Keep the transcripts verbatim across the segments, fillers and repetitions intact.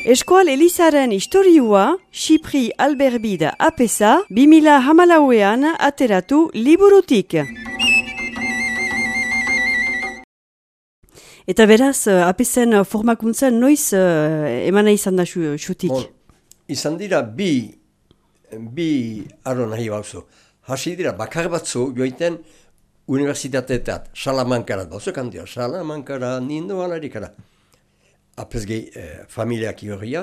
Eskual Elizaren historiua, Xipri Alberbida apesa, bi mila hamalauean ateratu liburutik. Eta beraz, apesen formakuntzen noiz uh, emana izan da xutik? Bon, izan dira bi, bi arro nahi bauzu. Hasi dira bakar batzu joiten universitateetat, Salamankarat bauzu kandia, Salamankara, nindo alarikara. Apesgei eh, familiak iorria,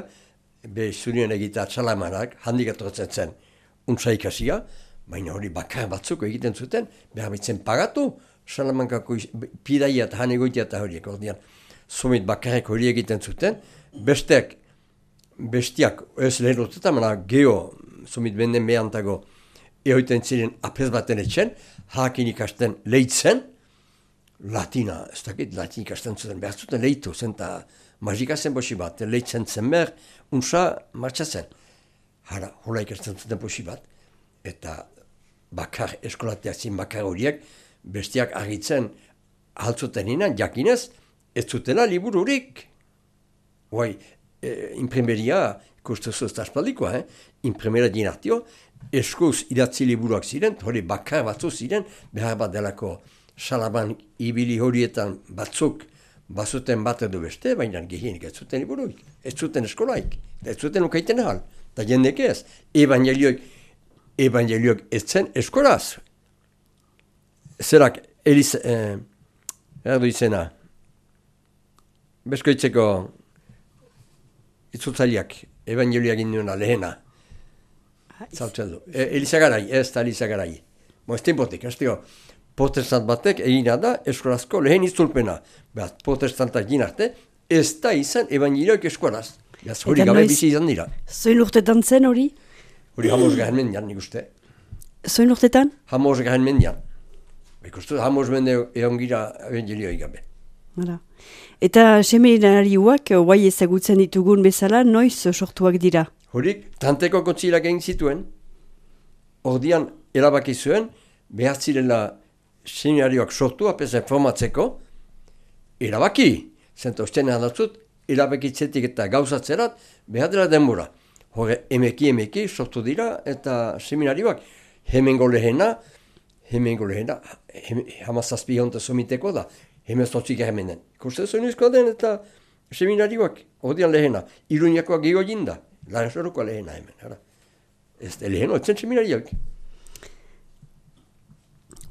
be zurien egitea Salamanak, handik atortzen zen untsa ikasia, baina hori bakar batzuk egiten zuten, behar bitzen pagatu, Salamankako pidaia eta hanegoitia eta horiek, ordean, somit bakarek hori egiten zuten, besteak, bestiak ez lehen urtetan, mana geho, somit benden behantago, ehoiten ziren apes baten etxen, hakin ikasten lehitzen, latina, ez dakit, latin ikasten zuten, behar zuten lehitu, zen eta magika zen bosi bat, lehitzen zen behar, unsa martxa zen. Hara, hola ikasten zuten bosi bat, eta bakar eskolateak zin bakar horiek, bestiak argitzen altzuten inan, jakinez, ez zutela libururik. Hoai, e, imprimeria, ikustuzu ez da espaldikoa, eh? Imprimeria dinartio, eskuz idatzi liburuak ziren, hori bakar batzu ziren, behar bat delako Salaman ibili horietan batzuk bazuten bat edo beste, baina gehienik ez zuten liburuik, ez zuten eskolaik, ez zuten ukaiten ahal, eta jendek ez, evangelioik, evangelioik ez zen eskolaz. Zerak, Eliz, eh, erdu izena, beskoitzeko itzutzaliak, evangelioak induena lehena, zautzen du. E, Elizagarai, ez da Elizagarai. Mo, ez tempotik, ez dio, protestant batek egina da eskolazko lehen itzulpena. Beaz, protestantak ginarte, ez da izan evangelioak eskolaz. Beaz, hori gabe bizi izan dira. Zoin urtetan zen hori? Hori hamoz garen mendian, nik uste. Zoin urtetan? Hamoz garen mendian. Ikustu, hamoz mende egon gira evangelioik gabe. Hala. Eta seminariuak, guai ezagutzen ditugun bezala, noiz sortuak dira? Horik, tanteko kontzilak egin zituen, ordian erabaki zuen, behar zirela seminarioak sortu, apezen formatzeko, erabaki, zenta osten handatzut, erabakitzetik eta gauzatzerat, behar dela denbora. Hore, emeki emeki sortu dira, eta seminarioak, hemengo lehena, hemengo lehena, hamazazpi honta somiteko da, hemen zotzik hemenen. Ikusten zuen izko den eta seminarioak, ordian lehena, Iruñakoak gehiago jinda, Lansorokoa lehena hemen, ara. Ez da leheno, etzen seminarioak.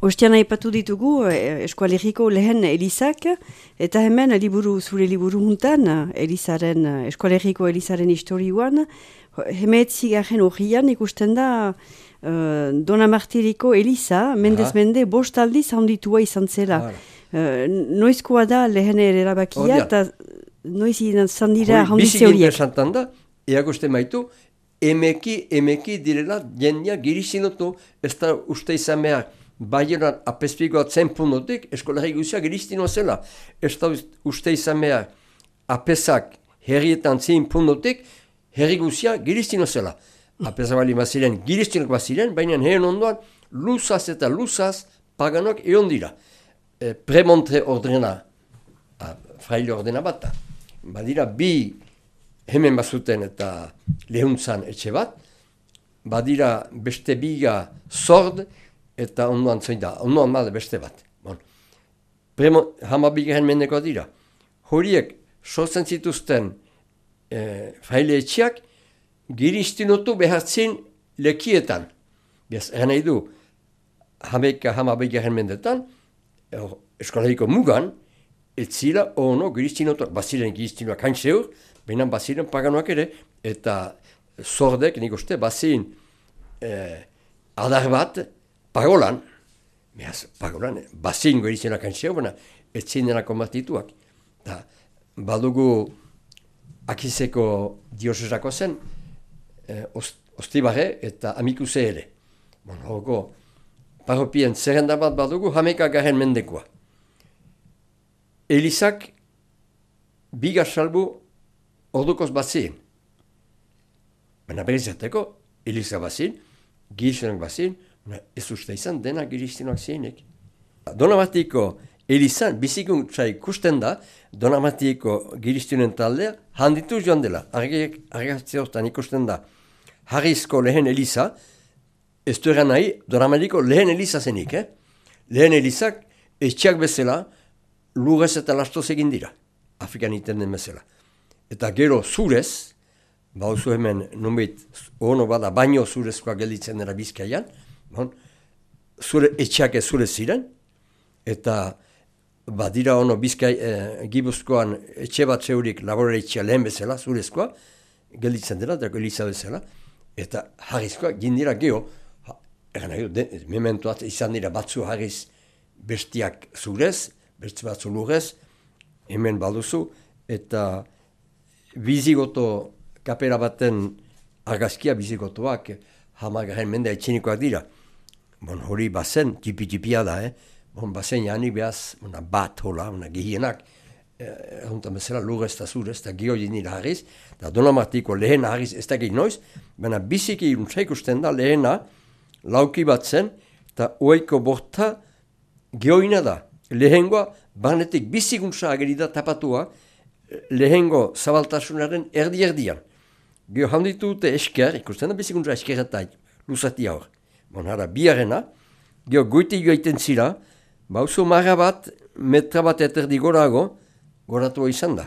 Ostian aipatu ditugu eskualeriko lehen Elizak, eta hemen liburu, zure liburu juntan, Elizaren, eskualeriko Elizaren historiuan, hemetzigarren horrian ikusten da uh, Dona Martiriko Eliza, mendez mende, bost aldiz handitua izan zela. Uh, noizkoa da lehen erabakia, eta noiz izan dira handitze horiek. Biziki interesantan da, eagoste maitu, emeki, emeki direla jendia girizinotu, ez da uste izan behar, Baionan apespikoa zen pundotik, eskolari guzia giristinoa zela. Ez da uste izan behar, apesak herrietan zin pundotik, herri guzia giristinoa zela. Apesak bali baziren, giristinok baziren, baina herren ondoan, luzaz eta luzaz paganok egon dira. E, premontre ordena, a, fraile ordena bat. Badira bi hemen bazuten eta lehuntzan etxe bat, badira beste biga zord, eta ondoan zoin da, ondoan bada beste bat. Bon. Premo, hamabigarren mendeko dira. Horiek sortzen zituzten e, fraile etxeak giristinotu behartzin lekietan. Beaz, eran nahi du, hameka hamabigarren mendetan, er, eskolariko mugan, etzila ono giristinotu, baziren giristinoak hain zeur, baina baziren paganoak ere, eta zordek, nik uste, bazin e, adar bat, Pagolan, behaz, pagolan, bazin goirizenak antzeo, baina ez zinena konbatituak. Da, badugu akizeko diosesako zen, eh, ostibarre eta amikuse ere. Bon, horoko, parropien zerrenda bat badugu, hameka garen mendekoa. Elizak biga salbu ordukoz bazin. Baina berizateko, Eliza bazin, girizenak bazin, ez uste izan dena giristinoak zeinek. Dona batiko Elizan, bizikuntza ikusten da, Donamatiko giristunen taldea, handitu joan dela. Argazki hortan ikusten da, Harrizko lehen Eliza, ez du eran nahi, Donamatiko lehen Eliza zenik, eh? Lehen Elizak, etxeak bezala, lurrez eta lastoz egin dira, Afrikan iten den bezala. Eta gero zurez, bauzu hemen, nunbait, ono bada, baino zurezkoa gelditzen dira Bizkaian, bon, zure, etxeak ez zurez ziren, eta badira ono Bizkai, eh, Gipuzkoan etxe bat zeurik laborare etxea lehen bezala, zurezkoa, gelditzen dela, eta Eliza bezala, eta Harrizkoa gindira geho, egan nahi du, mementoat izan dira batzu Harriz bestiak zurez, beste batzu lurrez, hemen baduzu, eta bizigoto kapera baten argazkia bizigotoak hamagaren mendea etxenikoak dira. Bon, hori bazen, tipi-tipia da, eh? Bon, bazen janik behaz, una bat hola, una gehienak, eruntan bezala lurrez eta zurez, eta geho nira Harriz, eta Donamatiko lehena Harriz ez da gehi noiz, baina biziki iruntza ikusten da lehena, lauki bat zen, eta oeiko borta gehoina da. Lehengoa, banetik bizikuntza agerida tapatua, lehengo zabaltasunaren erdi-erdian. Geho handitu dute esker, ikusten da bizikuntza eskeretai, luzati hor. Bon, hara, biarena, geho goiti joaiten zira, bauzo marra bat, metra bat eterdi gorago, goratua izan da.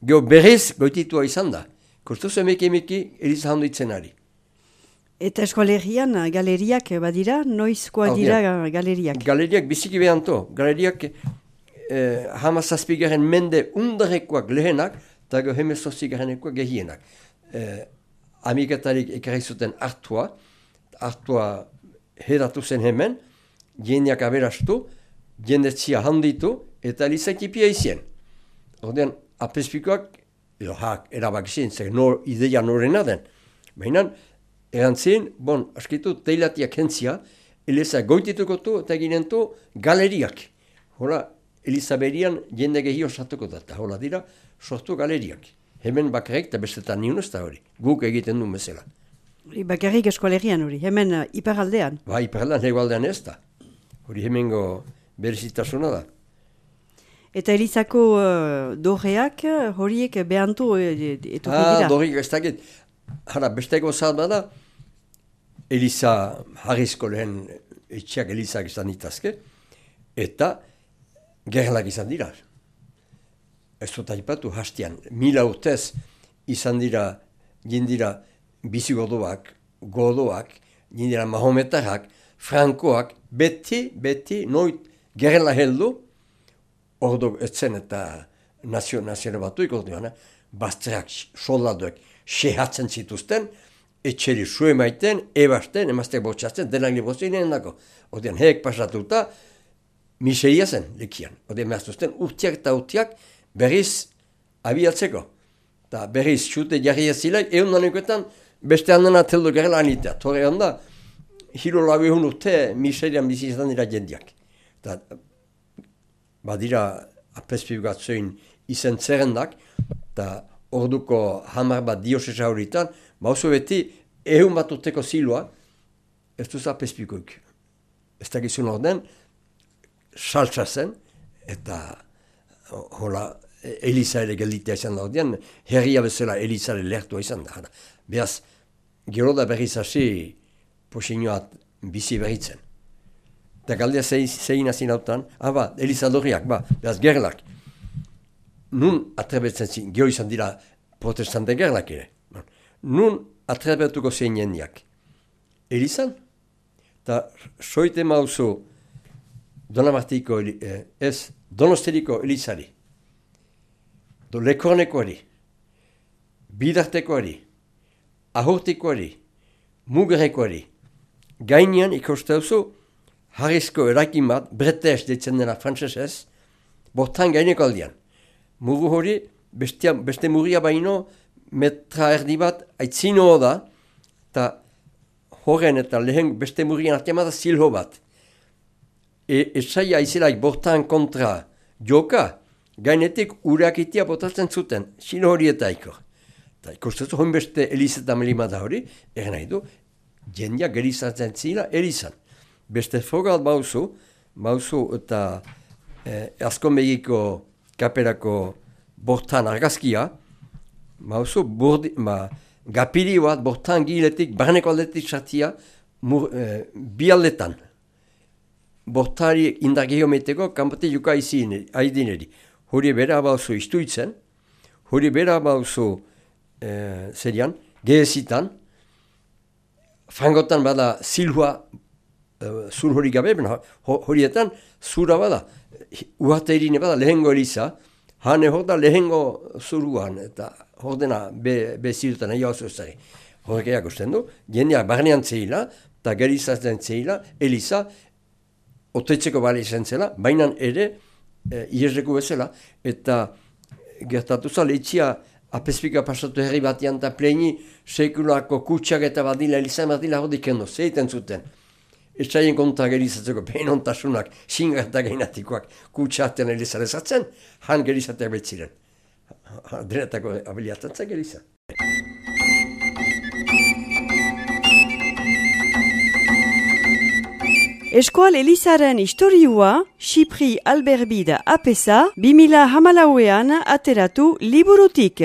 Geho berez goititua izan da. Kostuz emeki emeki Eliza handitzen ari. Eta eskolegian galeriak badira, noizkoa dira galeriak? Galeriak biziki behanto. Galeriak eh, hamazazpigaren mende undarekoak lehenak, eta geho hemezortzigarenekoak gehienak. Eh, Amiketarik ekarri zuten hartua, hartua hedatu zen hemen, jendeak aberastu, jendetzia handitu, eta Eliza ekipia izien. Ordean, apespikoak, edo hak, erabak izien, zer nor, ideia norena den. Baina, erantzien, bon, askitu, teilatiak hentzia, Eliza goitituko tu, eta ginentu galeriak. Hola, Eliza berian jende gehio satuko da, eta hola dira, sortu galeriak. Hemen bakarrik, eta bestetan niun ez da hori, guk egiten du bezala. Bakarrik eskolegian hori, hemen uh, iparaldean? Ba, iparaldean, hegoaldean ez da. Hori hemengo berezitasuna da. Eta Elizako uh, dorreak, horiek behantu uh, etuko dira? Ah, dorreak ez dakit. Hara, besteko zat bada, Eliza Harrizko lehen etxeak Elizak izan ditazke, eta gerlak izan dira. Ez dut aipatu hastian, mila urtez izan dira, jindira bizigodoak, godoak, jindira mahometarrak, frankoak, beti, beti, noit gerla heldu, ordo etzen eta nazio, nazio batuik orduan, bazterak, soldadoek, sehatzen zituzten, etxeri sue maiten, ebasten, emazteak botxatzen, denak libozinen dako. Odean, heek pasatuta, miseria zen, lekian. Odean, mehaztuzten, urtiak eta urtiak berriz abiatzeko. Eta berriz, xute jarri ezilek, egun nanikoetan, beste handan ateldu gerela anitea. Torre handa, hilo labihun urte, miserian bizi izan dira jendiak. Eta, badira, apespibgatzoin izen zerrendak, eta orduko hamar bat diosesa horitan, bauzu beti, ehun bat urteko ziloa, ez duz apespikoik. Ez da gizun orden, saltsa zen, eta hola, Eliza ere gelditea izan da ordean, herria bezala Elizare lertua izan da. Beaz, gero da berriz hasi posinioat bizi berritzen. Eta galdea zein hazin hautan, ah ba, Eliza dorriak, ba, beaz gerlak. Nun atrebetzen zin, geho izan dira protestante gerlak ere. Nun atrebetuko zein jendiak. Elizan? Eta soite mauzu Donamatiko, eh, ez, Donosteriko Elizari. Do lekornekoari, bidartekoari, ahurtikoari, mugerekoari. Gainean ikosteuzu Harrizko erakin bat, bretez ditzen dena frantzesez, bortan gaineko aldian. Muru hori, bestia, beste muria baino, metra erdi bat, aitzino da, eta horren eta lehen beste murien artean da zilho bat. E, esaia izilaik bortan kontra joka, gainetik urakitia botatzen zuten, zilho horietaiko. Eta ikostezu hon beste Elizeta melima da hori, eren nahi du, jendia gerizatzen zila Elizan. Beste fogal bauzu, bauzu eta eh, Azkonbegiko kaperako bortan argazkia, mauzu, burdi, ma, gapiri bat bortan giletik, barneko aldetik sartia, eh, bi aldetan. Bortari indar geometeko, kanpate juka aidineri. Hori bera bauzu istuitzen, hori bera bauzu eh, zerian, gehezitan, frangotan bada zilhua uh, zur hori gabe, ho, horietan zura bada, uhate irine bada lehengo eliza, hane hor da lehengo zuruan, eta hor dena be, be zirutan nahi hau zuzari. Horrek eakusten du, jendeak barnean zehila, eta gerizatzen zehila, eliza, otetzeko bale izan zela, baina ere, e, iesreku bezala, eta gertatu za, lehitzia apespika pasatu herri batian eta pleini sekulako kutsak eta badila, elizan badila hori kendo, zeiten zuten. Ez zaien konta gerizatzeko, peinontasunak, xingartak gainatikoak kutsaten elizarezatzen, han gerizateak betziren. Denetako abiliatantzak geriza. Eskual Elizaren historiua, Xipri Alberbida apesa, bi mila hamalauean ateratu liburutik.